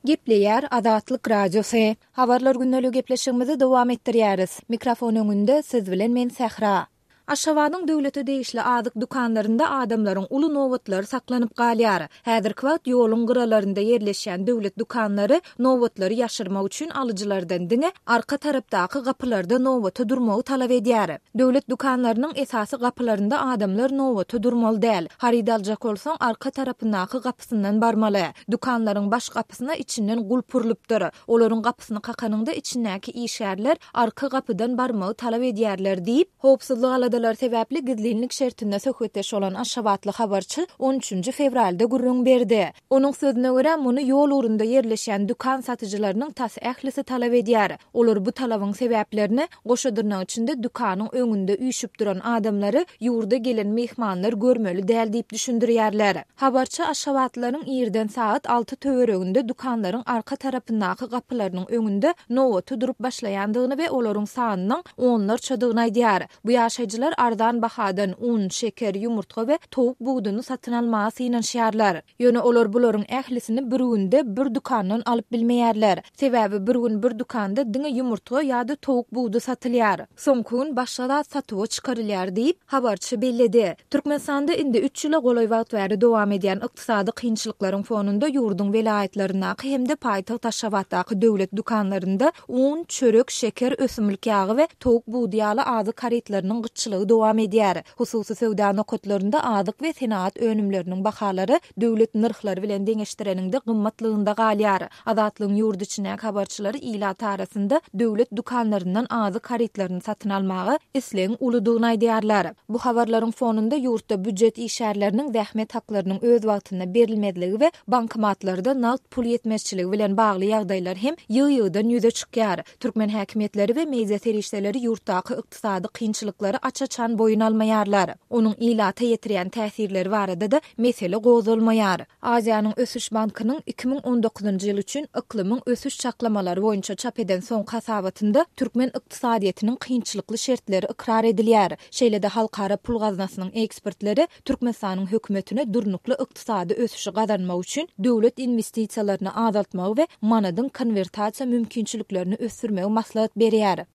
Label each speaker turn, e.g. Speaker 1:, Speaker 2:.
Speaker 1: Gepleýär Azatlyk Radiosy. Habarlar gündeligi gepleşigimizi dowam etdirýäris. Mikrofon öňünde siz bilen men Sähra. Aşgabadyň döwlete degişli azyk dükanlarynda adamlaryň uly nobatlary saklanyp galýar. Häzirki wagt ýoluň gyralarynda ýerleşýän döwlet dükanlary nobatlary ýaşyrmak üçin alyjylardan diňe arka tarapdaky gapylarda nobata durmagy talap edýär. Döwlet dükanlarynyň esasy gapylarynda adamlar nobata durmaly däl. Haryt aljak bolsaň, arka tarapyndaky gapysyndan barmaly. Dükanlaryň baş gapysyna içinden gulp urlupdyr. Olaryň gapysyny kakanyňda içindäki işgärler arka gapydan barmagy talap edýärler diýip, howpsuzlyk aladalary sebäpli gizlinlik şertinde söhbetdeş bolan aşgabatly habarçy on üçünji fewralda gürrüň berdi. Onuň sözüne görä, muny ýol ugrunda ýerleşýän dükan satyjylarynyň tas ählisi talap edýär. Olar bu talabyň sebäplerini, goşa dyrnak içinde dükanyň öňünde üýşüp duran adamlary ýurda gelen myhmanlar görmeli däl diýip düşündirýärler. Habarçy aşgabatlylaryň irden sagat alty töwereginde dükanlaryň arka tarapyndaky gapylarynyň öňünde nobata durup başlaýandygyny we olaryň sanynyň onlarçadygyny aýdýar. Bu ýaşaýjylar arzan bahadan un, şeker, ýumurtga we towuk buduny satyn almaga synanyşýarlar. Ýöne olar bularyň ählisini bir günde bir dükandan alyp bilmeýärler. Sebäbi bir gün bir dükanda diňe ýumurtga ýa-da towuk budy satylýar. Soňky gün başga zat satuwa çykarylýar diýip, habarçy belledi. Türkmenistanda indi üç ýyla golaý wagt bäri dowam edýän ykdysady kynçylyklaryň fonunda ýurduň welaýatlaryndaky hem-de paýtagt Aşgabatdaky döwlet dükanlarynda un, çörek, şeker, ösümlik ýagy we towuk budy ýaly azyk harytlarynyň gytçylygy dowam edýär. Hususy söwda nokatlarynda azyk we senagat önümleriniň bahalary döwlet nyrhlary bilen deňeşdireniňde gymmatlygynda galýar. Azatlygyň ýurt içindäki habarçylary ilat arasynda döwlet dükanlaryndan azyk harytlaryny satyn almaga islegiň uludygyny aýdýarlar. Bu habarlaryň fonunda ýurtda býujet işgärleriniň zähmet haklarynyň öz wagtynda berilmezligi we bankomatlarda nagt pul ýetmezçiligi bilen bagly ýagdaýlar hem ýygy-ýygydan ýüze çykýar. Türkmen häkimiýetleri we media serişdeleri ýurtdaky ykdysady kynçylyklary aç-açan boýun almaýarlar. Onuň ilata ýetirýän täsirleri barada-da mesele gozgalmaýar. Aziýanyň ösüş bankynyň 2019-njy ýyl üçin yklymyň ösüş çaklamalary boýunça çap eden soňky hasabatynda türkmen ykdysadyýetiniň kynçylykly şertleri ykrar edilýär. Şeýle-de Halkara pul gaznasynyň ekspertleri Türkmenistanyň hökümetine durnukly ykdysady ösüşi gazanmak üçin döwlet inwestisiýalaryny azaltmagy we manadyň konwertasiýa mümkinçiliklerini ösdürmegi maslahat berýär.